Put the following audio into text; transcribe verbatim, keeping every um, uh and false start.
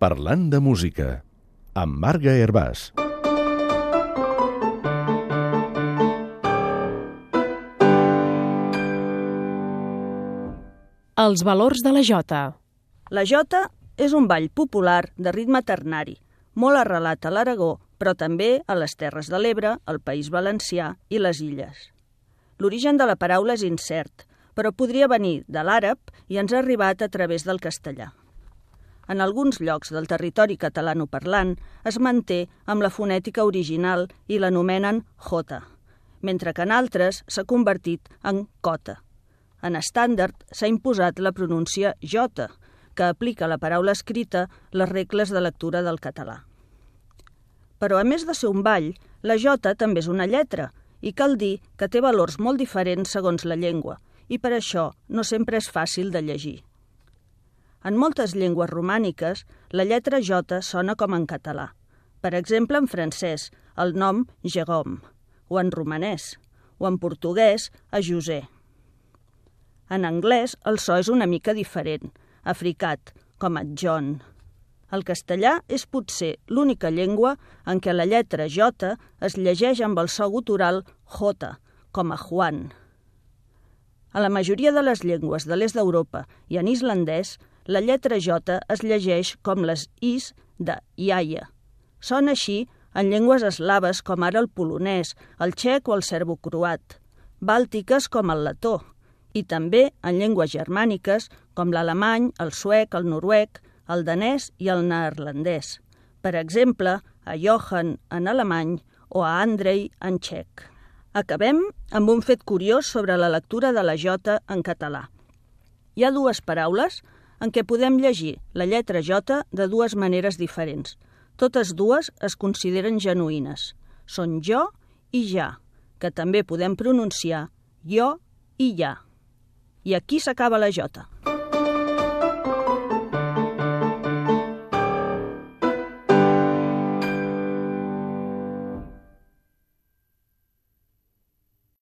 Parlant de música, amb Marga Hervàs. Els valors de la jota. La jota és un ball popular de ritme ternari, molt arrelat a l'Aragó, però també a les Terres de l'Ebre, el País Valencià i les Illes. L'origen de la paraula és incert, però podria venir de l'àrab i ens ha arribat a través del castellà. En alguns llocs del territori catalanoparlant es manté amb la fonètica original i l'anomenen jota, mentre que en altres s'ha convertit en cota. En estàndard s'ha imposat la pronúncia jota, que aplica a la paraula escrita les regles de lectura del català. Però a més de ser un ball, la jota també és una lletra, i cal dir que té valors molt diferents segons la llengua, i per això no sempre és fàcil de llegir. En moltes llengües romàniques, la lletra jota sona com en català. Per exemple, en francès, el nom Jérôme, o en romanès, o en portuguès, a José. En anglès, el so és una mica diferent, africat, com a John. El castellà és potser l'única llengua en què la lletra jota es llegeix amb el so gutural jota, com a Juan. A la majoria de les llengües de l'est d'Europa i en islandès, la lletra jota es llegeix com les is de iaia. Sona així en llengües eslaves com ara el polonès, el txec o el serbocroat, bàltiques com el letó, i també en llengües germàniques com l'alemany, el suec, el noruec, el danès i el neerlandès. Per exemple, a Johann en alemany o a Andrei en txec. Acabem amb un fet curiós sobre la lectura de la jota en català. Hi ha dues paraules en què podem llegir la lletra jota de dues maneres diferents. Totes dues es consideren genuïnes. Són jo i ja, que també podem pronunciar jo i ja. I aquí s'acaba la jota.